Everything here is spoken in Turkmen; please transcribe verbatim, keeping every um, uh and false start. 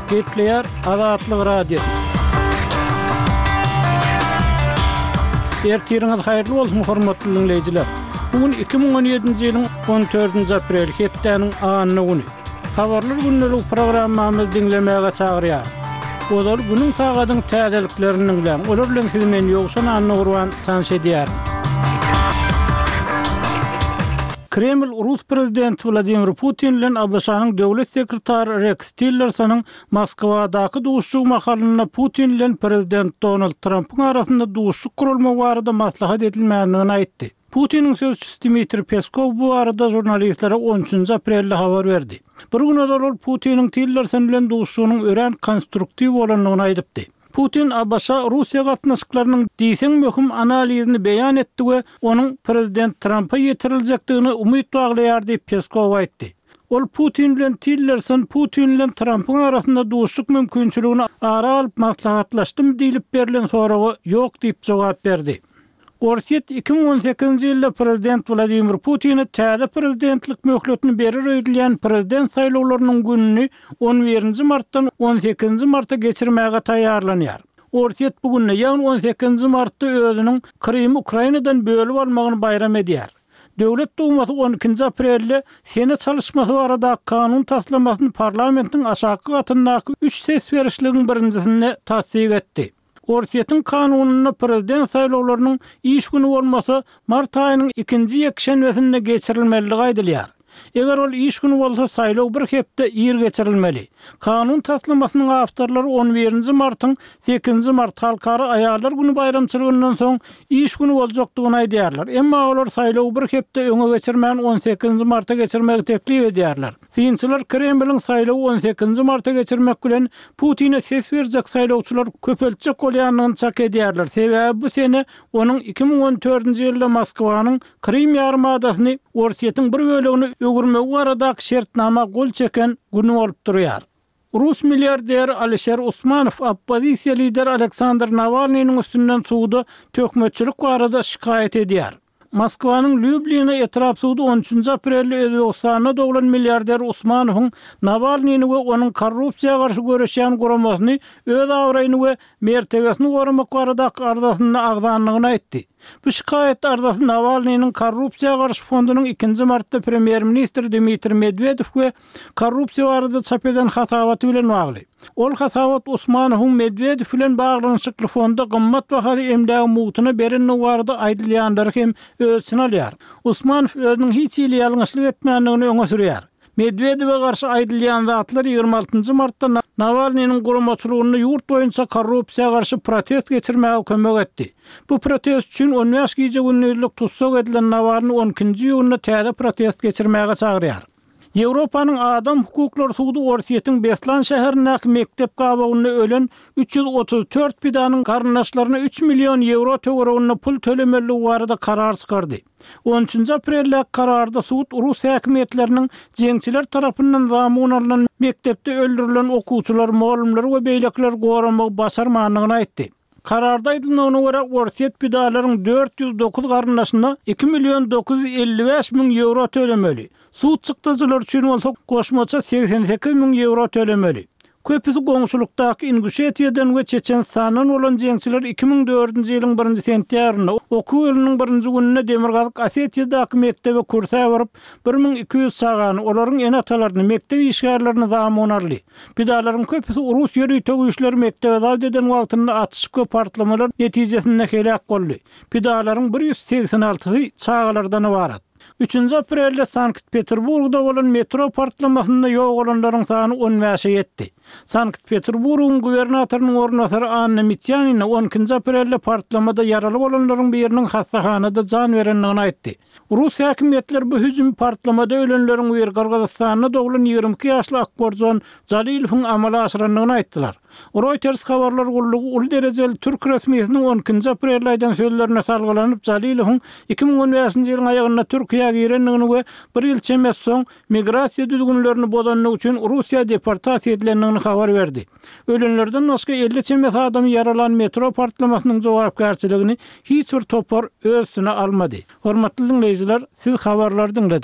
Gepleýär Azatlyk Radiosy. Ertiriňiz haýyrly bolsun, hormatly diňleýjiler! Bu gün iki müň on ýedinji ýylyň on dördünji apreli, hepdäniň anna güni. Habarlar gündelik programmamyzy diňlemäge çagyrýar. Ozal günüň sagadyň täzeliklerini diňläň. Olar bilen sizi men Ýowşan Annagurban tanyş edýärin. Kreml Rus prezidenti Wladimir Putin bilen ABŞ-nyň döwlet sekretary Reks Tillersonyň Moskwadaky duşuşygy mahalynda Putin bilen prezident Donald Trampyň arasynda duşuşyk guralmagy barada maslahat edilmändigini aýtdy. Putiniň sözçüsi Dmitriý Peskow bu barada žurnalistlere on üçünji aprelde habar berdi. Bir gün ozal ol Putiniň Tillerson bilen duşuşygynyň örän konstruktiw bolandygyny aýdypdy. Putin ABŞ-Russiýa gatnaşyklarynyň diýseň möhüm analizini beýan etdi we onuň prezident Trampa ýetiriljekdigine umyt baglaýar diýip Peskow aýtdy. Ol Putin bilen Tillerson Putin bilen Trampyň arasynda duşuşyk mümkinçiligini ara alyp maslahatlaşdym diýlip berlen soraga ýok diýip jogap berdi. Orsýet iki müň on sekizinji ýylda prezident Wladimir Putine täze prezidentlik möhletini berer öýdülýän prezident saýlawlarynyň gününi on birinji martdan on sekizinji marta geçirmäge taýýarlanýar. Orsýet bu günde, ýagny on sekizinji martda özüniň Krymy Ukrainadan bölüp almagyny baýram edýär. Döwlet Dumasy on ikinji aprelde sene çalyşmasy baradaky kanun taslamasyny parlamentiň aşaky gatyndaky üç ses berişligiň birinjisinde tassyk etdi. Orsýetiň kanunynda prezident saýlawlarynyň iş güni bolmasa, mart aýynyň ikinji ýekşenbesinde geçirilmelidigi aýdylýar. Eger ol iş güni bolsa, saýlaw bir hepde ir geçirilmeli. Kanun taslamasynyň awtorlary on birinji martyň sekizinji mart Halkara aýallar güni baýramçylygyndan soň iş güni boljakdygyny aýdýarlar. Emma olar saýlawy bir hepde öňe geçirmän on sekizinji marta geçirmegi teklip edýärler. Synçylar Kremliň saýlawy on sekizinji marta geçirmek bilen Putine ses berjek saýlawçylar köpeltjek bolýandygyny çak edýärler. Sebäbi bu sene onuň iki müň on dördünji ýylda Moskwanyň Krym ýarymadasyny Orsýetiň bir bölegini öwürmegi baradaky şertnama gol çeken güni bolup durýar. Rus milliarderi Alişer Usmanow oppozisiýa lideri Aleksandr Nawalnynyň üstünden suda töhmetçilik barada şikaýat edýär. Moskwanyň Lýublina etrap sudy on üçünji aprelde Özbegistanda doglan milliarder Usmanowyň Nawalnyny we onuň korrupsiýa garşy göreşýän guramasyny öz abraýyny we mertebesini goramak baradaky arzasynda agzandygyny aýtdy. Bu şikaýat arzasy Nawalnynyň korrupsiýa garşy fondunyň ikinji martda premýer-ministr Dmitriý Medwedew we korrupsiýa barada çap eden hasabaty bilen bagly. Ol hasabat Usmanowyň Medwedew bilen baglanyşykly fonda gymmat bahaly emlägi mugtuna berendigi barada aýdylýanlary hem öz içine alýar. Usmanow özüniň hiç hili ýalňyşlyk etmändigini öňe sürýär. Medwedewe garşy aýdylýan zatlar ýigrimi altynjy martda Nawalnynyň guramaçylygynda ýurt boýunça korrupsiýa garşy protest geçirmäge kömek etdi. Bu protest üçin on bäş gije-gündizlik tussag edilen Nawalny on ikinji iýunda täze protest geçirmäge çagyrýar. Ýewropanyň adam hukuklary sudy Orsýetiň Beslan şäherindäki mekdep gabawynda ölen üç ýüz otuz dört pidanyň garyndaşlaryna üç million ýewro töwereginde pul tölemelidigi barada karar çykardy. On üçünji apreldäki kararda sud rus häkimiýetleriniň jeňçiler tarapyndan zamun alnan mekdepde öldürilen okuwçylary, mugallymlary we beýlekileri goramagy başarmandygyny aýtdy. Kararda aýdylmagyna görä, Orsýet pidalaryň dört ýüz dokuz garyndaşyna iki million dokuz ýüz elli bäş müň ýewro tölemeli, sud çykdajylary üçin bolsa goşmaça segsen sekiz müň ýewro tölemeli. Köpüsi goňşulykdaky Inguşetiýadan we Çeçenistandan bolan jeňçiler iki müň dördünji ýylyň birinji sentýabrynda okuw ýylynyň birinji gününde Demirgazyk Osetiýadaky mekdebe kürsä baryp, bir müň iki ýüz çagany, olaryň ene-atalaryny, mekdep işgärlerini zamun aldy. Pidalaryň köpüsi rus ýörite güýçleri mekdebe zabt eden wagtynda atyşyk we partlamalar netijesinde heläk boldy. Pidalaryň bir ýüz segsen altysy çagalardan ybarat. Üçünji aprelde Sankt-Peterburgda bolan metro partlamasynda ýogalanlaryň sany on bäşe ýetdi. Sankt-Peterburgyň gubernatorynyň orunbasary Anna Mitýanina on ikinji aprelde partlamada ýaraly bolanlaryň biriniň hassahanada jan berendigini aýtdy. Rus häkimiýetleri bu hüjümi partlamada ölenleriň biri Gyrgyzystanda doglan ýigrimi iki ýaşly Akborjon Jalilowyň amala aşyrandygyny aýtdylar. Reuters habarlar gullugy uly derejeli türk resmisiniň on ikinji aprelde aýdan sözlerine salgylanyp, Jalilowyň iki müň on bäşinji ýylyň aýagynda Türkiýä girendigini we bir ýyl çemesi soň migrasiýa düzgünlerini bozandygy üçin Russiýa deportasiýa edilendigini habar berdi. Ölenlerden başga elli çemesi adamy ýaralan metro partlamasynyň jogapkärçiligini hiç bir topar öz üstüne almady. Hormatly diňleýjiler, siz habarlary diňlediňiz.